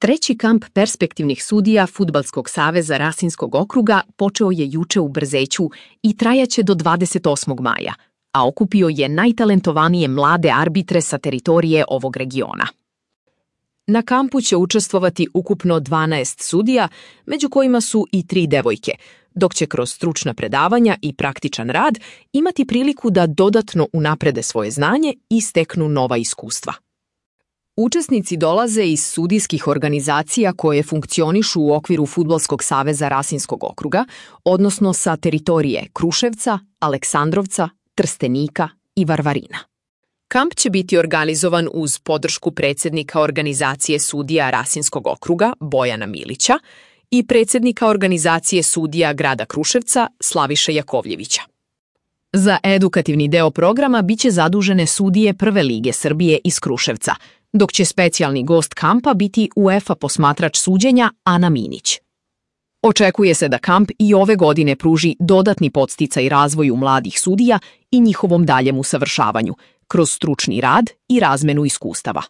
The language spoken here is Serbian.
Treći kamp perspektivnih sudija Fudbalskog saveza Rasinskog okruga počeo je juče u Brzeću i trajaće do 28. maja, a okupio je najtalentovanije mlade arbitre sa teritorije ovog regiona. Na kampu će učestvovati ukupno 12 sudija, među kojima su i 3 devojke, dok će kroz stručna predavanja i praktičan rad imati priliku da dodatno unaprede svoje znanje i steknu nova iskustva. Učesnici dolaze iz sudijskih organizacija koje funkcionišu u okviru Fudbalskog saveza Rasinskog okruga, odnosno sa teritorije Kruševca, Aleksandrovca, Trstenika i Varvarina. Kamp će biti organizovan uz podršku predsjednika organizacije sudija Rasinskog okruga Bojana Milića i predsjednika organizacije sudija grada Kruševca Slaviše Jakovljevića. Za edukativni deo programa biće zadužene sudije Prve lige Srbije iz Kruševca, dok će specijalni gost kampa biti UEFA posmatrač suđenja Ana Minić. Očekuje se da kamp i ove godine pruži dodatni podsticaj razvoju mladih sudija i njihovom daljem usavršavanju, kroz stručni rad i razmenu iskustava.